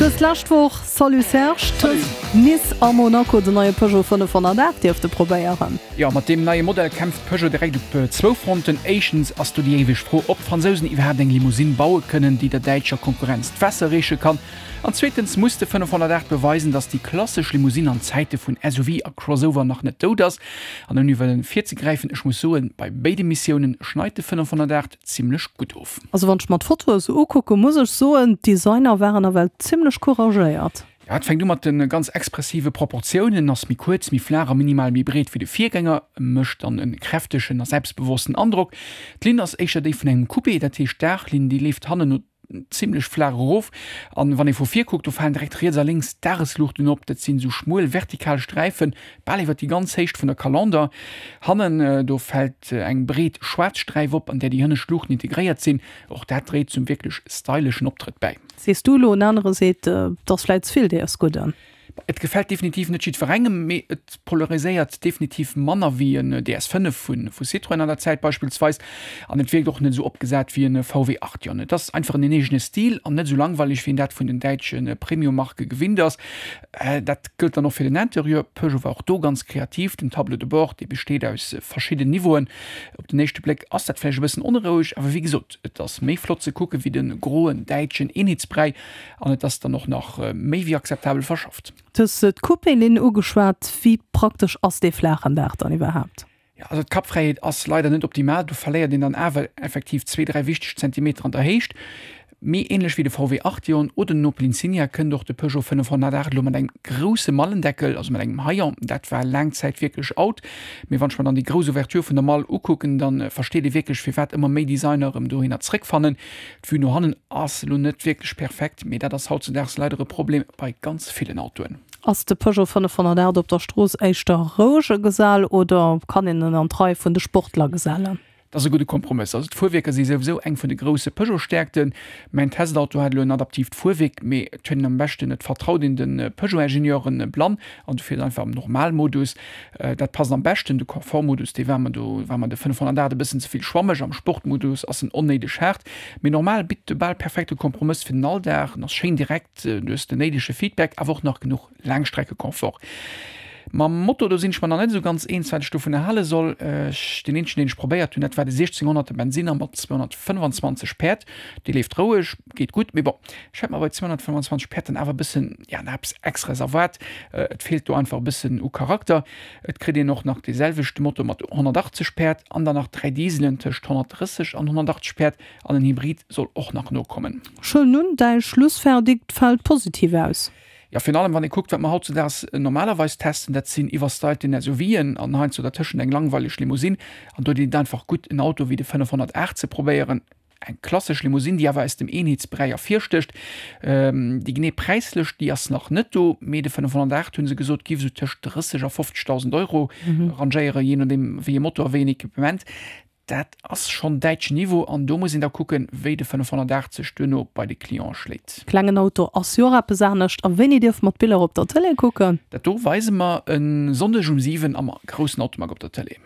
Du hues d'lescht Woch, salut Serge, tëscht Nice a Monaco den neie Peugeot 508 dierfte probéieren. Jo, mat deem neie Modell kämpft Peugeot direkt op zwou Fronten. Éischtens ass do déi éiweg Fro, ob d'Fransousen iwwerhaapt eng Limousine baue kënnen, déi der däitscher Konkurrenz d'Waasser reeche kann. An zweetens muss de 508 beweisen, datt déi klassesch Limousine an Zäite vun SUV a Crossover nach net dout ass. An ouni wëllen virzegräifen, ech muss soen, bei béide Missiounen schneit de 508 zimmlech gutt of. Also wann ech mer d'Fotoe sou ukucken, muss ech soen, d'Designer waren nawell zimmlech couragéiert. Jo, et fänkt u mat de ganz expressive Proportiounen, ass méi kuerz, méi flaach a minimal méi breet wéi de Virgänger, mécht dann e kräftegen a selbstbewossten Androck. D'Linn ass éischter déi vun engem Coupé, dat heescht d'Daachlinn déi leeft hannen no zimmlech flaach erof an wann ee vu vir kuckt, do falen direkt riets a lénks d'Dagesluuchten op. Dat sinn esou schmuel vertikal Sträifen, bal iwwer déi ganz Héicht vun der Kalender. Hannen, do fält eng breet schwaarz Sträif op, an där déi hënnescht Luuchten integréiert sinn. Och dat dréit zum wierklech styleschen Optrëtt bäi. Sees du elo, en anere seet, et ass vläit ze vill dees Gudden. Et gefält definitiv net jiddwerengem, mee et polariséiert definitiv manner wéi en DS5 vu Citroën an der Zäit beispillsweis. An et wierkt och net esou opgesat wéi en VW Arteon. Et ass einfach en eegene Stil an net esou langweileg wéi een dat vun den däitsche Premium-Marke gewinnt ass. Dat gëllt dann och fir den Interieur. Peugeot war och do ganz kreativ. Den Tableau de bord, dee besteet aus verschidden Niveauen. Op den éischte Bléck ass dat vläicht e bëssen onroueg, awer wéi gesot, et ass méi flott ze kucke wéi de groen däitschen Eenheetsbräi. An et ass dann och nach méi wéi akzeptabel verschafft. Du hues d'Coupé-Linn ugeschwat. Wéi praktesch ass dee flaachen Daach dann iwwerhaapt? Jo, also d'Kappfräiheet ass leider net optimal. Do verléiert een dann awer effektiv zwee, dräi wichteg Zentimeter an der Héicht. Mee änlech wéi de VW Arteon oder den Opel Insignia kënnt och de Peugeot 508 elo mat engem grousse Mallendeckel, also mat engem Hayon. Dat war laang Zäit wierklech out. Mee wann ech mer dann déi grouss Ouverture vun der Mall ukucken, da versteet ee wierklech, firwat ëmmer méi Designer erëm dohinner zréckfannen. D'Vue no hannen ass elo net wierklech perfekt, mee dat ass hautzedaags leider e Problem bei ganz villen Autoen. Ass de Peugeot 508 op der Strooss éischter rouege Gesell oder kann een en an d'Rei vun de Sportler gesellen? Dat ass e gudde Kompromëss. Also d'Fuerwierker si souwisou eng vun de grousse Peugeot-Stäerkten. Mäin Testauto hat elo en adaptiivt Fuerwierk, mee et huet een am beschten, et vertraut een de Peugeot-Ingenieuren blann an du fiers einfach am Normalmodus. Dat passt am beschten. De Confort-Modus, dee war mer do war mer de 508 e bëssen ze vill schwammeg. Am Sport-Modus ass en onnéideg haart. Mee normal bitt de bal perfekte Kompromëss fir den Alldag. En ass schéin direkt, du hues den néidege Feedback, awer och nach genuch Laangstreckeconfort. Mam Moto, do sinn ech mer nach net esou ganz eens, wat ech dovunner hale soll. Ech, deen eenzegen, deen ech probéiert hunn, dat war de 1600er Bensinner mat 225 Päerd. Dee leeft roueg, geet gutt, mee bon, ech hätt mer bei 225 Päerd dann awer e bëssen, ja, nach eppes Extraes erwaart. Et feelt do einfach e bëssen u Charakter. Et kritt een och nach dee selwechte Motor mat 180 Päerd an dann nach 3 Dieselen tëscht 130 an 180 Päerd an en Hybrid soll och nach nokommen. Schön nun, däi Schlussverdikt fällt positiv aus. Jo, virun allem wann ee kuckt, wat mer hautzedaags normalerweis testen, dat sinn iwwerstylten SUVen an heiansdo dertëschent eng langweileg Limousine. An do deet et einfach gutt, en Auto wéi de 508 ze probéieren. Eng klassesch Limousine, déi awer aus dem Eenheetsbräi ervirstécht. Déi genee Präislëscht, déi ass nach net do, mee de 508, hu se gesot, giff esou tëscht 30 a 50.000 Euro rangéieren, jee nodeem wéi ee Motor a wéi een Equipement. Dat ass schonn däitschen Niveau an do muss een da kucken, wéi de 580 duerno bei de Client schléit. Klengen Auto ass jo och eppes anescht. A wéini dierfe mer d'Biller op der Tëlee kucken? Dat do weise mer e Sonndeg um 7 am groussen Automag op der Tëlee.